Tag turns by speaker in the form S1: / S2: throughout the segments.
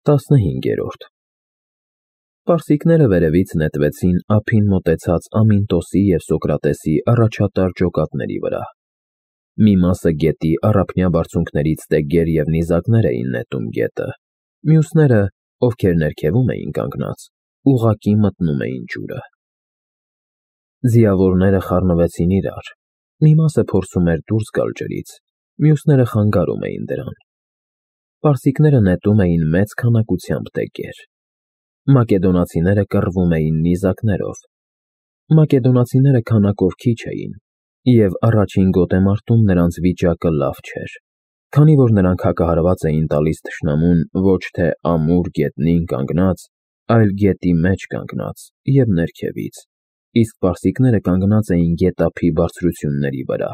S1: 15-րդ Պարսիկները վերևից նետվեցին ափին մոտեցած Ամինտոսի և Սոկրատեսի առաջատար ջոկատների վրա։ Մի մասը գետի առափնյա բարձունքներից տեգեր և նիզակներ էին նետում գետը, մյուսները, ովքեր ներքևում էին կանգնած, ուղղակի մտնում էին ջուրը։ Ձիավորները խառնվեցին իրար, մի մասը փորձում էր դուրս գալ ջրից, մյուսները խանգարում էին դրան։ Պարսիկները նետում էին մեծ քանակությամբ տեգեր։ Մակեդոնացիները կռվում էին նիզակներով։ Մակեդոնացիները քանակով քիչ էին, և առաջին գոտեմարտում նրանց վիճակը լավ չէր, քանի որ նրանք հակահարված էին տալիս թշնամուն ոչ թե ամուր գետնին կանգնած, այլ գետի մեջ կանգնած և ներքևից, իսկ պարսիկները կանգնած էին գետափի բարձրությունների վրա։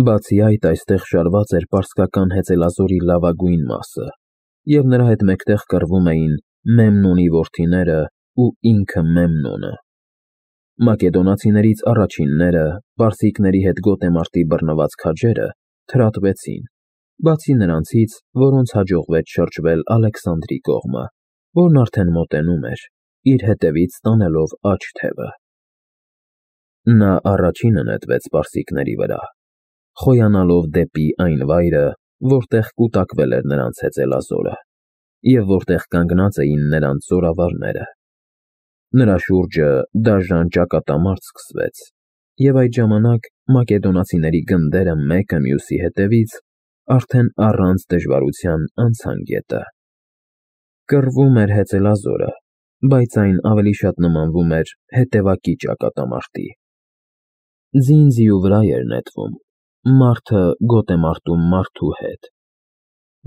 S1: Բացի այդ, այստեղ շարված էր պարսկական հեծելազորի լավագույն մասը, և նրա հետ մեկտեղ կռվում էին Մեմնոնի որդիները ու ինքը Մեմնոնը։ Մակեդոնացիներից առաջինները, պարսիկների հետ գոտեմարտի բռնված քաջերը, թրատվեցին, բացի նրանցից, որոնց հաջողվեց շրջվել Ալեքսանդրի կողմը, որն արդեն մոտենում էր, իր հետևից տանելով աջ թևը։ Նա առաջինը նետվեց պարսիկների վրա, խոյանալով դեպի այն վայրը, որտեղ կուտակվել էր նրանց հեծելազորը, և որտեղ կանգնած էին նրանց զորավարները։ Նրա շուրջը դաժան ճակատամարտ սկսվեց, և այդ ժամանակ մակեդոնացիների գնդերը մեկը մյուսի հետևից արդեն առանց դժվարության անցան գետը։ Կռվում էր հեծելազորը, բայց այն ավելի շատ նմանվում էր հետևակի ճակատամարտի։ Ձին ձիու վրա էր նետվում, մարդը գոտեմարտում մարդու հետ։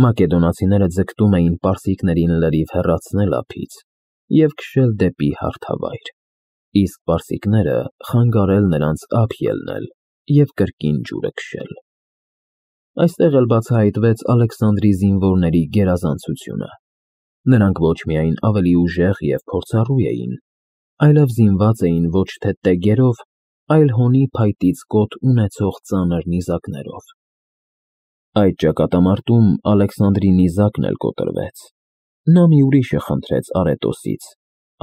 S1: Մակեդոնացիները ձգտում էին պարսիկներին լրիվ հեռացնել ափից և քշել դեպի հարթավայր, իսկ պարսիկները խանգարել նրանց ափ ելնել և կրկին ջուրը քշել։ Այստեղ էլ բացահայտվեց Ալեքսանդրի զինվորների գերազանցությունը։ Նրանք ոչ միայն ավելի ուժեղ և փորձառու էին, այլև զինված էին ոչ թե տեգերով, այլ հոնի փայտից կոթ ունեցող ծանր նիզակներով։ Այդ ճակատամարտում Ալեքսանդրի նիզակն էլ կոտրվեց։ Նա մի ուրիշը խնդրեց Արետոսից,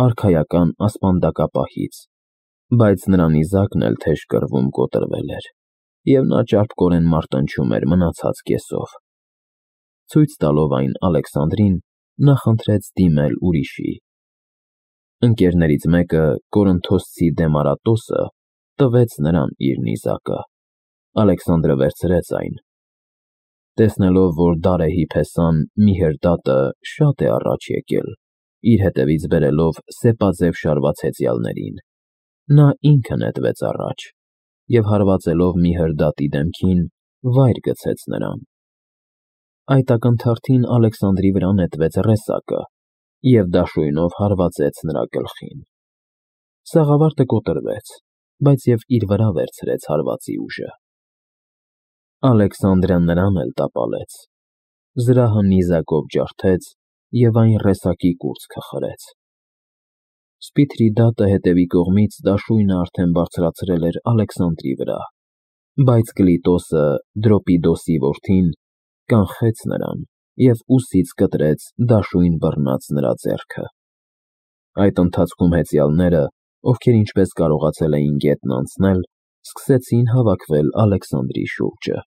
S1: արքայական ասպանդակապահից, բայց նրա նիզակն էլ թեժ կռվում կոտրվել էր, և նա ճարպկորեն մարտնչում էր մնացած կեսով։ Ցույց տալով այն Ալեքսանդրին, նա խնդրեց դիմել ուրիշի։ Ընկերներից մեկը, Կորինթոսցի Դեմարատոսը, տվեց նրան իր նիզակը։ Ալեքսանդրը վերցրեց այն։ Տեսնելով, որ Դարեհի փեսան Միհերդատը շատ է առաջ եկել, իր հետևից բերելով սեպաձև շարված հեծյալներին, նա ինքը նետվեց առաջ և հարվածելով Միհերդատի դեմքին, վայր գցեց նրան։ Այդ ակնթարթին Ալեքսանդրի վրա նետվեց ռեսակը և դաշույնով հարվածեց նրա գլխին։ Սաղավարտը կոտրվեց, բայց և իր վրա վերցրեց հարվածի ուժը։ Ալեքսանդրը նրան էլ տապալեց, զրահը նիզակով ջարդեց և այն ռեսակի կուրծքը խրեց։ Սպիթրիդատը հետևի կողմից դաշույնը արդեն բարձրացրել էր Ալեքսանդրի վրա, բայց Կլիտոսը, Դրոպիդոսի որդին, կանխեց նրան և ուսից կտրեց դաշույն բռնած նրա ձեռքը։ Այդ ընթացքում հեծյալները, ովքեր ինչպես կարողացել էին գետն անցնել, սկսեցին հավաքվել Ալեքսանդրի շուրջը։